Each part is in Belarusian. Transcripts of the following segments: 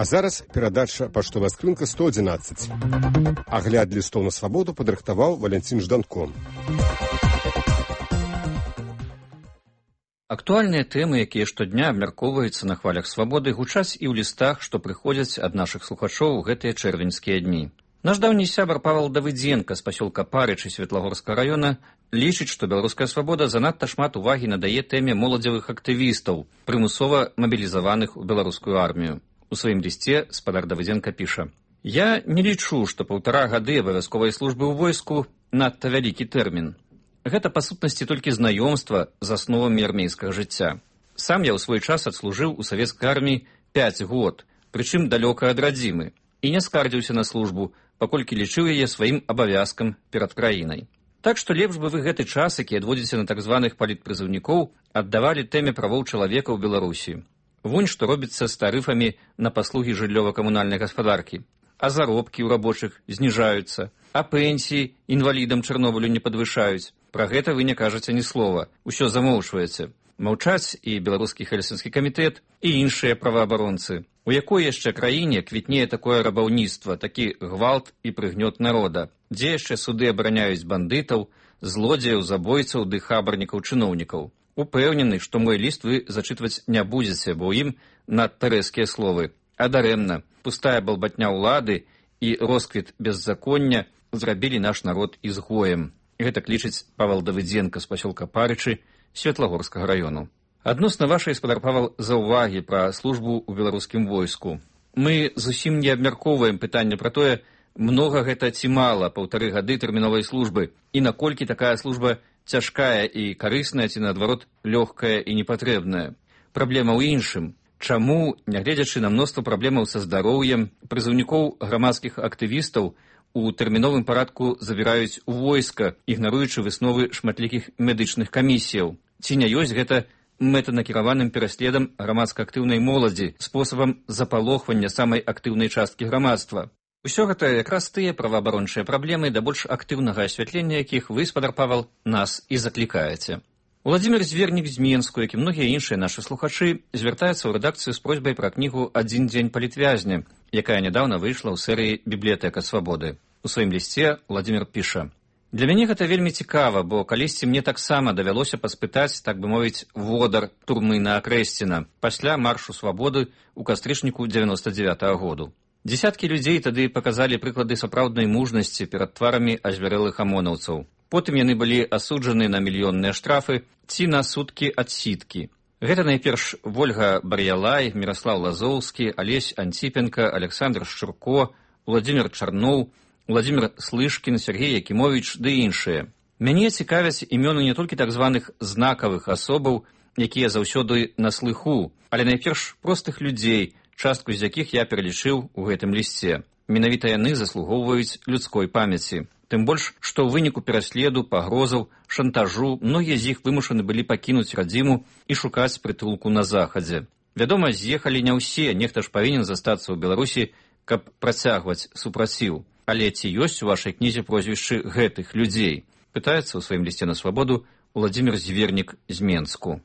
А зараз перадача «Паштовая скрынка 111». Агляд лістоў на свабоду падрыхтаваў Валянцін Жданко. Актуальныя тэмы, якія штодня абмяркоўваюцца на хвалях свабоды, гучаць і ў лістах, што прыходзяць ад нашых слухачоў у гэтыя чэрвеньскія дні. Наш даўні сябар Павел Давыдзенка з пасёлка Парычы Светлагорскага раёна лічыць, што беларуская свабода занадта шмат увагі надае тэме моладзевых актывістаў, прымусова мабілізаваных у беларускую армію. У сваім лісце спадар Давыдзенка піша: «Я не лічу, што 1,5 гады абавязковай службы ў войску надта вялікі тэрмін. Гэта, па сутнасці, толькі знаёмства з асновамі армейскага жыцця. Сам я ў свой час адслужыў у савецкай арміі 5 год, прычым далёка ад радзімы, і не скардзіўся на службу, паколькі лічыў яе сваім абавязкам перад краінай. Так што лепш бы вы гэты час, які адводзіце на так званых палітпрызыўнікоў, аддавалі тэме правоў чалавека ў Беларусі. Вунь што робіцца з тарыфамі на паслугі жыллёва-камунальнай гаспадаркі. А заробкі ў рабочых зніжаюцца, а пенсіі інвалідам Чарнобылю не падвышаюць. Пра гэта вы не кажаце ні слова, усё замоўчваеце. Маўчаць і беларускі хельсінскі камітэт, і іншыя праваабаронцы. У якой яшчэ краіне квітнее такое рабаўніцтва, такі гвалт і прыгнёт народа? Дзе яшчэ суды абараняюць бандытаў, злодзеяў, забойцаў ды хабарнікаў-чыноўнікаў? Упэўнены, што мой ліст вы зачытваць не будзеце, бо ў ім надта рэзкія словы. А дарэмна, пустая балбатня ўлады і росквіт беззаконня зрабілі наш народ ізгоем. Гэта клічыць Павел Давыдзенка з пасёлка Парычы Светлагорскага раёну. Адносна вашай, спадар Павел, заўвагі пра службу ў беларускім войску. Мы зусім не абмяркоўваем пытанне пра тое, многа гэта ці мала 1,5 гады тэрміновай службы, і наколькі такая служба цяжкая і карысная, ці наадварот лёгкая і непатрэбная. Праблема ў іншым. Чаму, нягледзячы на мноства праблемаў са здароўем, прызыўнікоў грамадскіх актывістаў у тэрміновым парадку забіраюць у войска, ігнаруючы высновы шматлікіх медычных камісіяў? Ці не ёсць гэта мэтанакіраваным пераследам грамадска-актыўнай моладзі, спосабам запалохвання самай актыўнай часткі грамадства? Усё гэта якраз тыя праваабарончыя праблемы, да больш актыўнага асвятлення якіх вы, спадар Павел, нас і заклікаеце. Уладзімір Звернік з Менску, як і многія іншыя нашы слухачы, звяртаецца ў рэдакцыю з просьбай пра кнігу «Адзін дзень палітвязня», якая нядаўна выйшла ў серыі «Бібліятэка свабоды». У сваім лісце Уладзімір піша: «Для мяне гэта вельмі цікава, бо калісьці мне таксама давялося паспытаць, так бы мовіць, водар турмы на Акрэсціна пасля маршу свабоды ў кастрычніку 99-го году. Дзесяткі людзей тады паказалі прыклады сапраўднай мужнасці перад тварамі азвярэлых амонаўцаў. Потым яны былі асуджаны на мільённыя штрафы ці на суткі адсідкі. Гэта найперш Вольга Бар'ялай, Міраслаў Лазоўскі, Алесь Антіпенка, Александр Шчурко, Уладзімір Чарноў, Уладзімір Слышкін, Сергей Якімовіч ды іншыя. Мяне цікавяць імёны не толькі так званых знакавых асобаў, якія заўсёды на слыху, але найперш простых людзей, частку з якіх я пералічыў у гэтым лісце. Менавіта яны заслугоўваюць людской памяці. Тым больш, што ў выніку пераследу, пагрозаў, шантажу многія з іх вымушаны былі пакінуць радзіму і шукаць прытулку на захадзе. Вядома, з'ехалі не ўсе, нехта ж павінен застацца ў Беларусі, каб працягваць супраціў. Але ці ёсць у вашай кнізе прозвішчы гэтых людзей? Пытаецца ў сваім лісце на свабоду Уладзімір Звернік з Менску.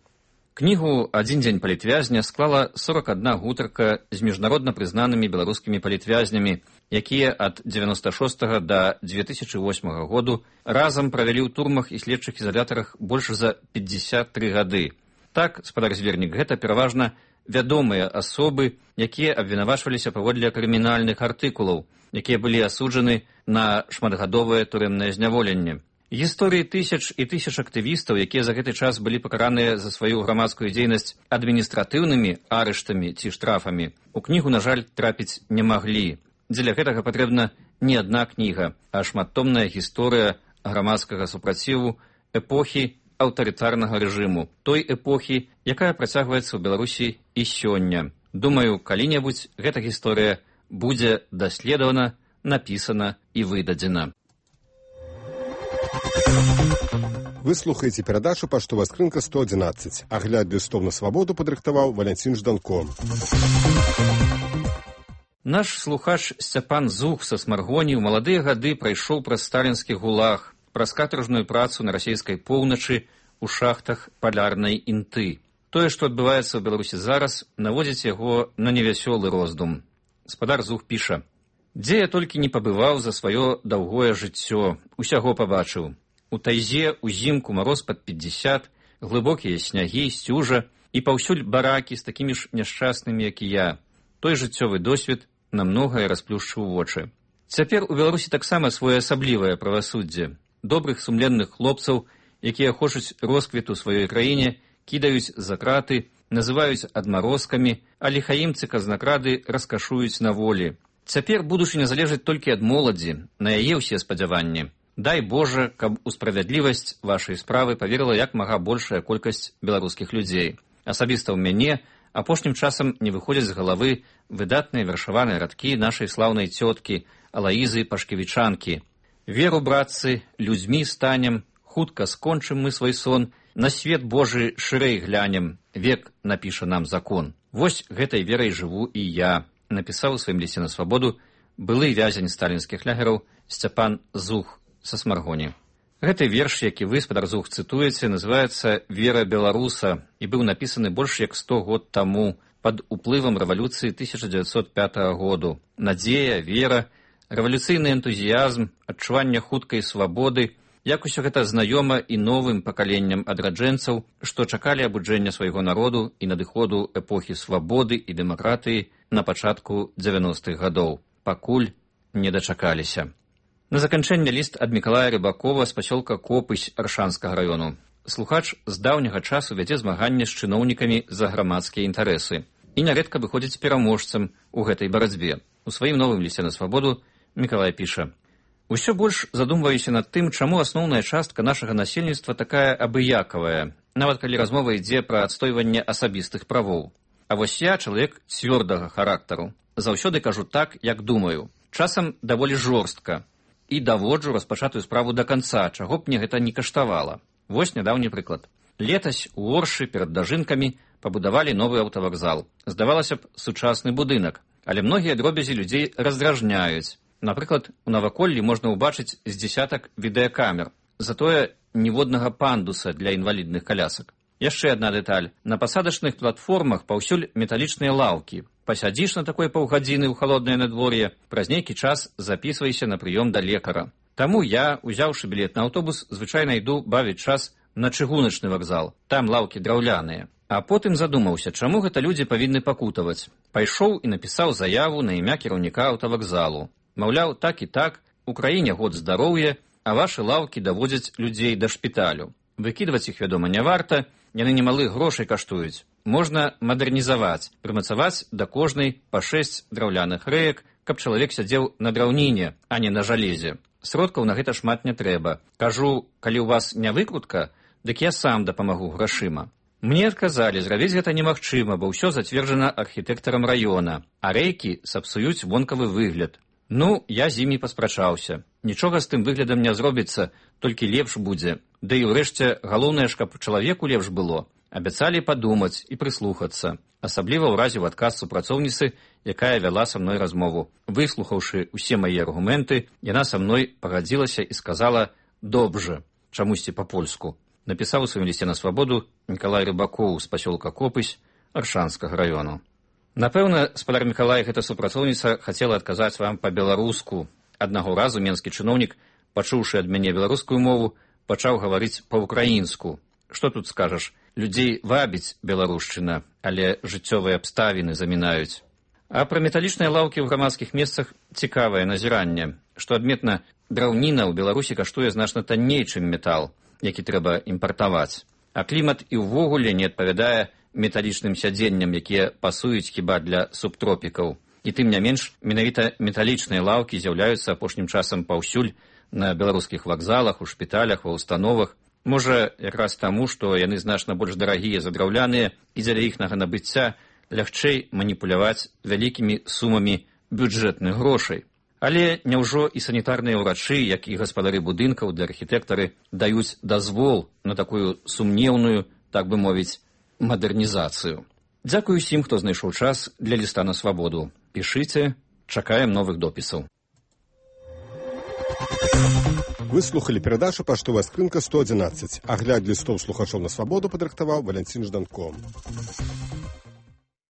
Кнігу «Адзін дзень палітвязня» склала 41 гутарка з міжнародна прызнанымі беларускімі палітвязнямі, якія ад 96 да 2008 году разам правялі ў турмах і следчых ізалятарах больш за 53 гады. Так, спадар Звернік, гэта пераважна вядомыя асобы, якія абвінавачваліся паводле крымінальных артыкулаў, якія былі асуджаны на шматгадовае турэмнае зняволенне. Гісторыі тысяч і тысяч актывістаў, якія за гэты час былі пакараныя за сваю грамадскую дзейнасць адміністратыўнымі арыштамі ці штрафамі, у кнігу, на жаль, трапіць не маглі. Дзеля гэтага патрэбна не адна кніга, а шматтомная гісторыя грамадскага супраціву эпохі аўтарытарнага рэжыму, той эпохі, якая працягваецца ў Беларусі і сёння. Думаю, калі-небудзь гэта гісторыя будзе даследавана, напісана і выдадзена. Вы слухаеце перадачу «Паштовая скрынка 111». Агляд лістоў на свабоду падрыхтаваў Валянцін Жданко. Наш слухач Сцяпан Зух са Смаргоні ў маладыя гады прайшоў праз сталінскі гулаг, праз катаржную працу на расійскай поўначы ў шахтах палярнай інты. Тое, што адбываецца ў Беларусі зараз, наводзіць яго на невясёлы роздум. спадар Зух піша: «Дзе я толькі не пабываў за сваё даўгое жыццё, усяго пабачыў. У тайзе узімку мароз пад 50, глыбокія снягі, сцюжа і паўсюль баракі з такімі ж няшчаснымі, як і я. Той жыццёвы досвед на многае расплюшчыў вочы. Цяпер у Беларусі таксама своеасаблівае правасуддзе. Добрых сумленных хлопцаў, якія хочуць росквіту сваёй краіне, кідаюць за краты, называюць адмарозкамі, а ліхаімцы казнакрады раскашуюць на волі. Цяпер будучыня залежыць толькі ад моладзі, на яе ўсе спадзяванні. Дай Божа, каб у справядлівасць вашай справы паверыла як мага большая колькасць беларускіх людзей. Асабіста ў мяне апошнім часам не выходзяць з галавы выдатныя вершаваныя радкі нашай слаўнай цёткі Алаізы Пашкевічанкі. Веру, братцы, людзьмі станем, хутка скончым мы свой сон, на свет Божы шырэй глянем, век напіша нам закон. Вось гэтай верай жыву і я, напісаў у сваім лісце на свабоду былы вязень сталінскіх лягераў Сцяпан Зух са Смаргоні. Гэты верш, які вы, спадар Зух, цытуеце, называецца «Вера беларуса» і быў напісаны больш як 100 год таму пад уплывам рэвалюцыі 1905 году. Надзея, вера, рэвалюцыйны энтузіязм, адчуванне хуткай свабоды, як усё гэта знаёма і новым пакаленням адраджэнцаў, што чакалі абуджэння свайго народу і надыходу эпохі свабоды і дэмакратыі на пачатку 90-х гадоў, пакуль не дачакаліся. На заканчэнне ліст ад Мікалая Рыбакова з пасёлка Копысь Аршанскага раёну. Слухач з даўняга часу вядзе змаганне з чыноўнікамі за грамадскія інтарэсы і нярэдка выходзіць пераможцам у гэтай барацьбе. У сваім новым лісце на свабоду Мікалай піша: «Усё больш задумваюся над тым, чаму асноўная частка нашага насельніцтва такая абыякавая, нават калі размова ідзе пра адстойванне асабістых правоў. А вось я чалавек цвёрдага характару. Заўсёды кажу так, як думаю. Часам даволі жорстка. І даводжу распачатую справу да канца, чаго б мне гэта не каштавала. Вось нядаўні прыклад. Летась у Оршы перад дажынкамі пабудавалі новы аўтавакзал. Здавалася б, сучасны будынак, але многія дробязі людзей раздражняюць. Напрыклад, у наваколлі можна ўбачыць з дзесятак відэакамер, затое ніводнага пандуса для інвалідных колясак. Яшчэ адна дэталь. На пасадачных платформах паўсюль металічныя лаўкі. Пасядзіш на такой паўгадзіны ў халоднае надвор'е, праз нейкі час запісвайся на прыём да лекара. Таму я, узяўшы білет на аўтобус, звычайна іду бавіць час на чыгуначны вакзал. Там лаўкі драўляныя. А потым задумаўся, чаму гэта людзі павінны пакутаваць. Пайшоў і напісаў заяву на імя кіраўніка аўтавакзалу. Маўляў, так і так, у краіне год здароўя, а вашы лаўкі даводзяць людзей да шпіталю. Выкідваць іх, вядома, не варта, яны немалых грошай каштуюць. Можна мадэрнізаваць, прымацаваць да кожнай па 6 драўляных рэек, каб чалавек сядзеў на драўніне, а не на жалезе. Сродкаў на гэта шмат не трэба. Кажу, калі ў вас не выкрутка, дык я сам дапамагу грашыма. Мне адказалі, зрабіць гэта немагчыма, бо ўсё зацверджана архітэктарам раёна, а рэйкі сапсуюць вонкавы выгляд. Ну, я з імі паспрачаўся. Нічога з тым выглядам не зробіцца, толькі лепш будзе. Да і ўрэшце, галоўнае ж, каб чалавеку лепш было. Абяцалі падумаць і прыслухацца, асабліва ў разе ў адказ супрацоўніцы, якая вяла са мной размову. Выслухаўшы ўсе мае аргументы, яна са мной пагадзілася і сказала «добжа», чамусьці па-польску. Напісаў у сваім лісце на свабоду Мікалай Рыбакоў з пасёлка Копысь Аршанскага раёну. Напэўна, спадар Мікалай, гэта супрацоўніца хацела адказаць вам па-беларуску. Аднаго разу менскі чыноўнік, пачуўшы ад мяне беларускую мову, пачаў гаварыць па-ўкраінску. Што тут скажаш? Людзей вабіць беларушчына, але жыццёвыя абставіны замінаюць. А пра металічныя лаўкі ў грамадскіх месцах цікавае назіранне. Што адметна, драўніна ў Беларусі каштуе значна танней, чым метал, які трэба імпартаваць. А клімат і ўвогуле не адпавядае металічным сядзенням, якія пасуюць хіба для субтропікаў. І тым не менш, менавіта металічныя лаўкі з'яўляюцца апошнім часам паўсюль на беларускіх вакзалах, у шпіталях, ва ўстановах. Можа, якраз таму, што яны значна больш дарагія за драўляныя, і дзеля іхнага набыцця лягчэй маніпуляваць вялікімі сумамі бюджэтных грошай. Але няўжо і санітарныя ўрачы, як і гаспадары будынкаў для архітэктары даюць дазвол на такую сумнеўную, так бы мовіць, мадэрнізацыю. Дзякую усім, хто знайшоў час для ліста на свабоду. Пішыце, чакаем новых допісаў. Вы слухали перадачу «Паштовая скрынка 111». Агляд лістоў слухачоў на свабоду падрыхтаваў Валянцін Жданко.